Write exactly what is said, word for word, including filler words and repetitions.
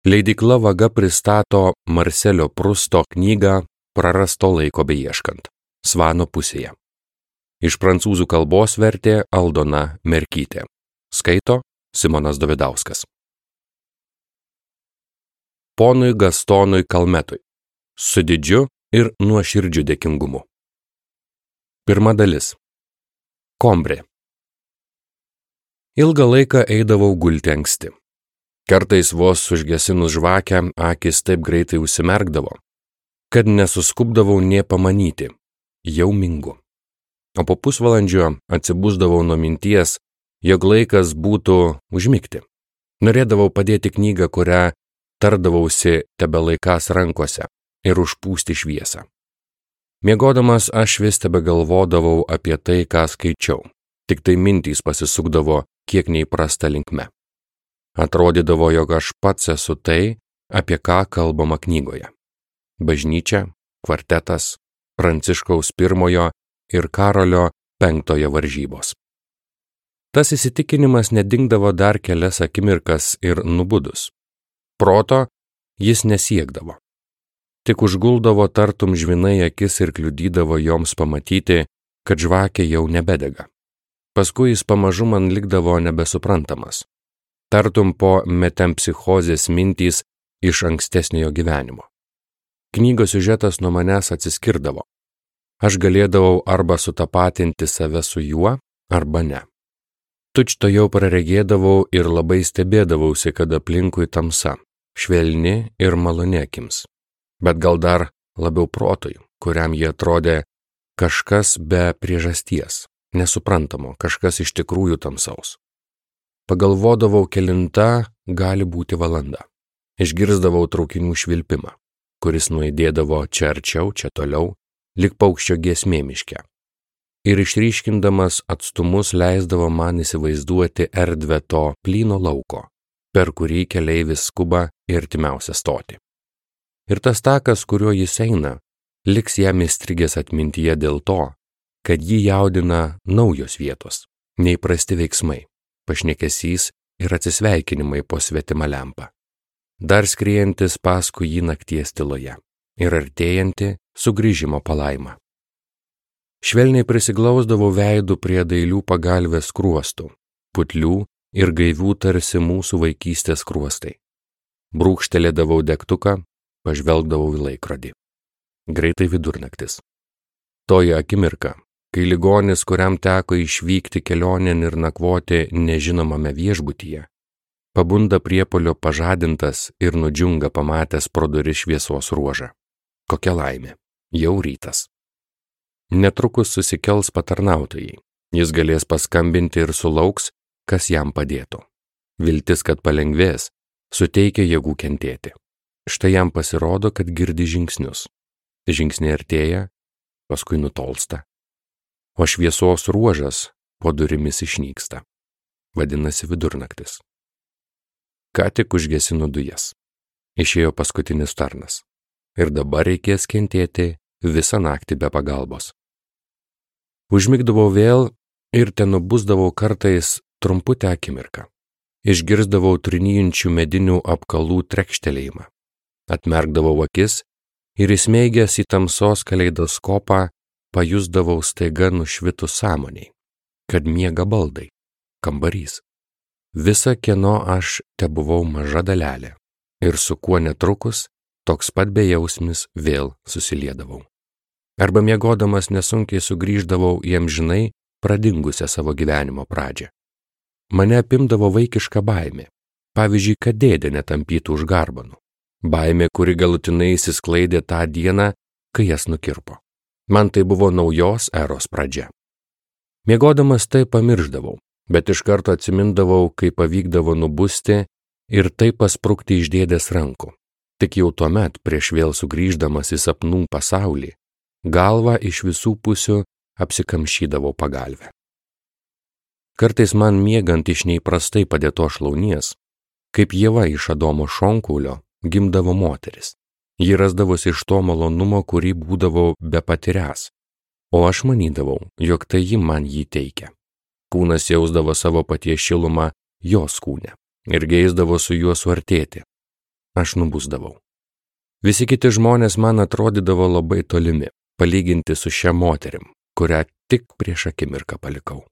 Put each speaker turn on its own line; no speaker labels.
Leidykla Vaga pristato Marselio Prusto knygą Prarasto laiko beieškant. Svano pusėje. Iš prancūzų kalbos vertė Aldona Merkytė. Skaito Simonas Dovidauskas. Ponui Gastonui Kalmetui. Su didžiu ir nuoširdžiu dėkingumu. Pirma dalis. Kombrė. Ilgą laiką eidavau gulti anksti. Kartais vos užgesinus žvakę, akis taip greitai užsimerkdavo, kad nesuskubdavau nė pamanyti, jau mingu. O po pusvalandžio atsibusdavau nuo minties, jog laikas būtų užmigti. Norėdavau padėti knygą, kurią tardavausi tebelaikas rankose ir užpūsti šviesą. Miegodamas aš vis tebegalvodavau apie tai, ką skaičiau, tik tai mintys pasisukdavo kiek neįprasta linkme. Atrodydavo, jog aš pats esu tai, apie ką kalbama knygoje. Bažnyčia, kvartetas, Pranciškaus pirmojo ir Karolio penktojo varžybos. Tas įsitikinimas nedingdavo dar kelias akimirkas ir nubudus. Proto jis nesiekdavo. Tik užguldavo tartum žvinai akis ir kliudydavo joms pamatyti, kad žvakė jau nebedega. Paskui jis pamažu man likdavo nebesuprantamas. Tartum po metempsichozės mintys iš ankstesniojo gyvenimo. Knygos siužetas nuo manęs atsiskirdavo. Aš galėdavau arba sutapatinti save su juo, arba ne. Tučto jau praregėdavau ir labai stebėdavausi, kad aplinkui tamsa, švelni ir maloni akims. Bet gal dar labiau protui, kuriam jie atrodė kažkas be priežasties, nesuprantamo, kažkas iš tikrųjų tamsaus. Pagalvodavau, kelinta gali būti valanda. Išgirsdavau traukinių švilpimą, kuris nuaidėdavo čia arčiau, čia toliau, lyg paukščio giesmė miške. Ir išryškindamas atstumus leisdavo man įsivaizduoti erdvę to plyno lauko, per kurį keleivis skuba į artimiausią stotį. Ir tas takas, kuriuo jis eina, liks jam įstrigęs atmintyje dėl to, kad jį jaudina naujos vietos, neįprasti veiksmai, pašnekesys ir atsisveikinimai po svetimą lempą. Dar skriejantis paskui jį nakties tyloje ir artėjanti sugrįžimo palaima. Švelniai prisiglausdavau veidų prie dailių pagalvės skruostų, putlių ir gaivių tarsi mūsų vaikystės skruostai. Brūkštelėdavau degtuką, pažvelgdavau į laikrodį. Greitai vidurnaktis. Toji akimirka, kai ligonis, kuriam teko išvykti kelionėn ir nakvoti nežinomame viešbutyje, pabunda priepuolio pažadintas ir nudžiunga pamatęs pro duris šviesos ruožą. Kokia laimė, jau rytas. Netrukus susikels patarnautojai, jis galės paskambinti ir sulauks, kas jam padėtų. Viltis, kad palengvės, suteikia jėgų kentėti. Štai jam pasirodo, kad girdi žingsnius. Žingsniai artėja, paskui nutolsta. O šviesos ruožas po durimis išnyksta. Vadinasi vidurnaktis. Ką tik užgesino dujas. Išėjo paskutinis tarnas. Ir dabar reikės kentėti visą naktį be pagalbos. Užmigdavau vėl ir tenubusdavau kartais trumputę akimirką. Išgirsdavau trinijančių medinių apkalų trekštelėjimą. Atmerkdavau akis ir įsmeigęs į tamsos kaleidoskopą pajusdavau staiga nušvitus sąmoniai, kad miega baldai, kambarys. Visa kieno aš tebuvau maža dalelė ir su kuo netrukus toks pat bejausmis vėl susiliedavau. Arba miegodamas nesunkiai sugrįždavau į amžinai pradingusią savo gyvenimo pradžią. Mane apimdavo vaikiška baimė, pavyzdžiui, kad dėdė netampytų už garbanų. Baimė, kuri galutinai įsisklaidė tą dieną, kai jas nukirpo. Man tai buvo naujos eros pradžia. Miegodamas tai pamirždavau, bet iš karto atsimindavau, kai pavykdavo nubusti ir taip pasprukti iš dėdės rankų. Tik jau tuomet, prieš vėl sugrįždamas į sapnų pasaulį, galvą iš visų pusių apsikamšydavau pagalvę. Kartais man miegant iš neįprastai padėto šlaunies, kaip Ieva iš Adomo šonkaulio, gimdavo moteris. Ji rasdavosi iš to malonumo, kurį būdavau bepatiręs, o aš manydavau, jog tai ji man jį teikia. Kūnas jausdavo savo paties šilumą jos kūne ir geisdavo su juo suartėti. aš nubusdavau. Visi kiti žmonės man atrodydavo labai tolimi, palyginti su šia moterim, kurią tik prieš akimirką palikau.